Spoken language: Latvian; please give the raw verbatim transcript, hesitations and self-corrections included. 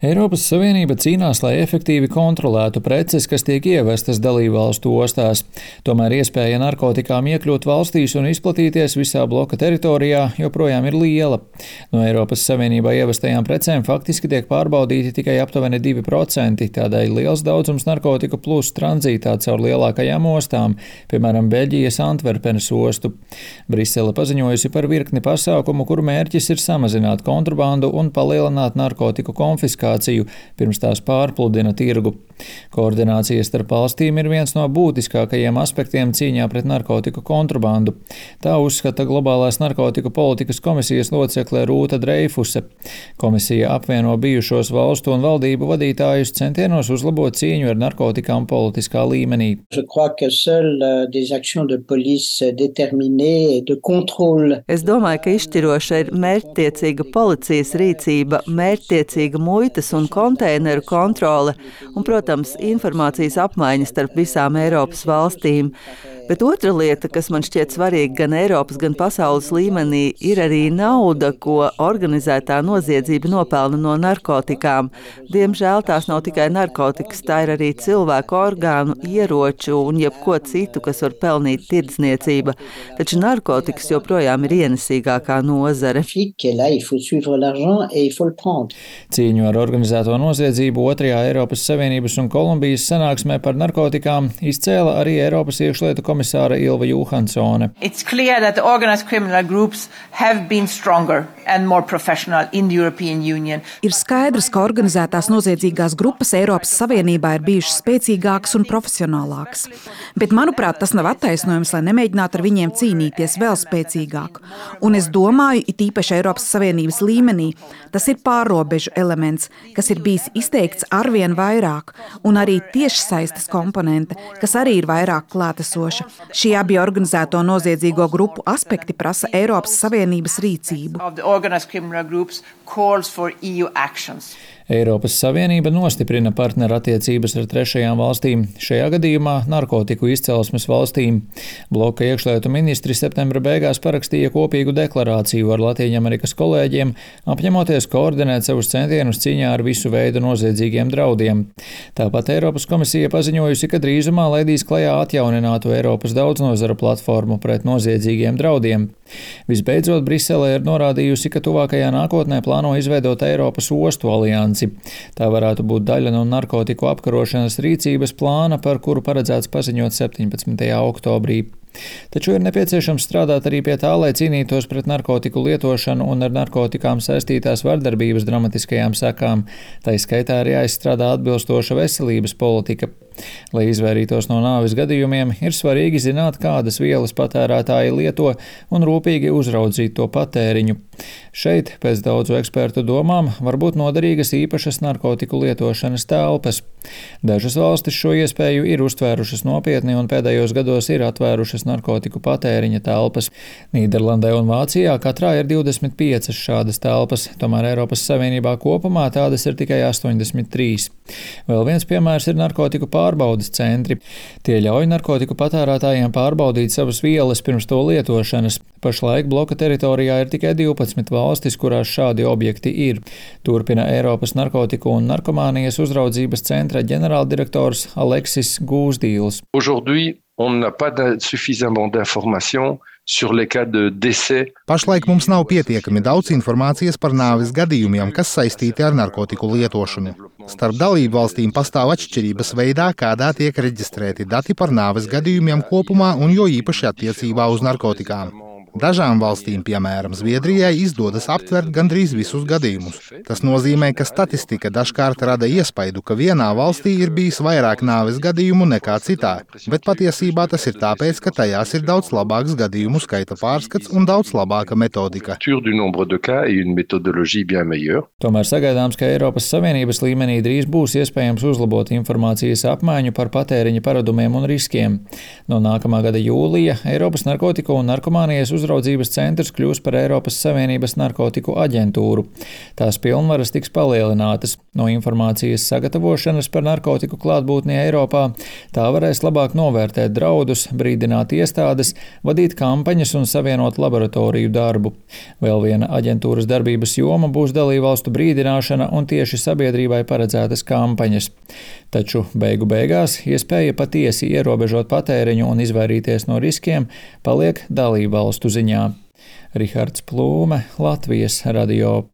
Eiropas Savienība cīnās, lai efektīvi kontrolētu preces, kas tiek ievestas dalībvalstu ostās. Tomēr iespēja narkotikām iekļūt valstīs un izplatīties visā bloka teritorijā joprojām ir liela. No Eiropas Savienībā ievestajām precēm faktiski tiek pārbaudīti tikai aptuveni divi procenti, tādēļ liels daudzums narkotiku plūst tranzītā caur lielākajām ostām, piemēram, Beļģijas Antverpenes ostu. Brisele paziņojusi par virkni pasākumu, kuru mērķis ir samazināt kontrabandu un palielināt narkotiku konfiskāciju, pirms tās pārpludina tirgu. Koordinācija starp valstīm ir viens no būtiskākajiem aspektiem cīņā pret narkotiku kontrabandu. Tā uzskata globālās narkotiku politikas komisijas locekle Rūta Dreifuse. Komisija apvieno bijušos valstu un valdību vadītājus centienos uzlabot cīņu ar narkotikām politiskā līmenī. Es domāju, ka izšķiroša ir mērķtiecīga policijas rīcība, mērķtiecīga muitas un konteineru kontrole un, protams, informācijas apmaiņa starp visām Eiropas valstīm. Bet otra lieta, kas man šķiet svarīga gan Eiropas, gan pasaules līmenī, ir arī nauda, ko organizētā noziedzība nopelna no narkotikām. Diemžēl tās nav tikai narkotikas, tā ir arī cilvēku orgānu, ieroču un jebko citu, kas var pelnīt tirdzniecība. Taču narkotikas joprojām ir ienesīgākā nozare. Cīņu ar organizēto noziedzību otrajā Eiropas Savienības un Kolumbijas sanāksmē par narkotikām izcēla arī Eiropas iekšlietu komisāra Ilva Johansone. It's clear that the organized criminal groups have been stronger and more professional in the European Union. Ir skaidrs, ka organizētās noziedzīgās grupas Eiropas Savienībā ir bijušas spēcīgākas un profesionālākas. Bet, manuprāt, tas nav attaisnojums, lai nemēģinātu ar viņiem cīnīties vēl spēcīgāk. Un es domāju, it īpaši Eiropas Savienības līmenī, tas ir pārrobežu elements, kas ir bijis izteikts arvien vairāk, un arī tiešsaistes komponente, kas arī ir vairāk klātesoša. Šie abi organizēto noziedzīgo grupu aspekti prasa Eiropas Savienības rīcību. Eiropas Savienība nostiprina partnerattiecības ar trešajām valstīm, šajā gadījumā narkotiku izcelsmes valstīm. Bloka iekšlietu ministri septembra beigās parakstīja kopīgu deklarāciju ar Latvijas kolēģiem, apņemoties koordinēt savus centienus cīņā ar visu veidu noziedzīgiem draudiem. Tāpat Eiropas komisija paziņojusi, ka drīzumā laidīs klajā atjauninātu Eiropas daudznozara platformu pret noziedzīgiem draudiem. Visbeidzot, Brisele ir norādījusi, ka tuvākajā nākotnē plāno izveidot Eiropas ostu aliansi. Tā varētu būt daļa no narkotiku apkarošanas rīcības plāna, par kuru paredzēts paziņot septiņpadsmitajā oktobrī. Taču ir nepieciešams strādāt arī pie tā, lai cīnītos pret narkotiku lietošanu un ar narkotikām saistītās vardarbības dramatiskajām sekām. Tā skaitā arī jāizstrādā atbilstoša veselības politika. Lai izvairītos no nāves gadījumiem, ir svarīgi zināt, kādas vielas patērētāji lieto un rūpīgi uzraudzīt to patēriņu. Šeit, pēc daudzu ekspertu domām, var būt noderīgas īpašas narkotiku lietošanas telpas. Dažas valstis šo iespēju ir uztvērušas nopietni un pēdējos gados ir atvērušas narkotiku patēriņa telpas. Nīderlandē un Vācijā katrā ir divdesmit piecas šādas telpas, tomēr Eiropas Savienībā kopumā tādas ir tikai astoņdesmit trīs. Vēl viens piemērs ir narkotiku pārbaudes centri. Tie ļauj narkotiku patērētājiem pārbaudīt savas vielas pirms to lietošanas. Pašlaik bloka teritorijā ir tikai divpadsmit valstis, kurās šādi objekti ir. Turpina Eiropas narkotiku un narkomānijas uzraudzības centra ģenerāldirektors Aleksis Gūzdīls. Pašlaik mums nav pietiekami daudz informācijas par nāves gadījumiem, kas saistīti ar narkotiku lietošanu. Starp dalību valstīm pastāv atšķirības veidā, kādā tiek reģistrēti dati par nāves gadījumiem kopumā un jo īpaši attiecībā uz narkotikām. Dažām valstīm, piemēram, Zviedrijai, izdodas aptvert gandrīz visus gadījumus. Tas nozīmē, ka statistika dažkārt rada iespaidu, ka vienā valstī ir bijis vairāk nāves gadījumu nekā citā, bet patiesībā tas ir tāpēc, ka tajās ir daudz labāks gadījumu skaita pārskats un daudz labāka metodika. Tomēr sagaidāms, ka Eiropas Savienības līmenī drīz būs iespējams uzlabot informācijas apmaiņu par patēriņa paradumiem un riskiem. No nākamā gada jūlija Eiropas narkotiku un narkomānijas uzraudzības centrs kļūs par Eiropas Savienības narkotiku aģentūru. Tās pilnvaras tiks palielinātas. No informācijas sagatavošanas par narkotiku klātbūtni Eiropā tā varēs labāk novērtēt draudus, brīdināt iestādes, vadīt kampaņas un savienot laboratoriju darbu. Vēl viena aģentūras darbības joma būs dalībvalstu brīdināšana un tieši sabiedrībai paredzētas kampaņas. Taču beigu beigās iespēja patiesi ierobežot patēriņu un izvairīties no riskiem paliek dalībvalstu ziņā. Rihards Plūme, Latvijas radio.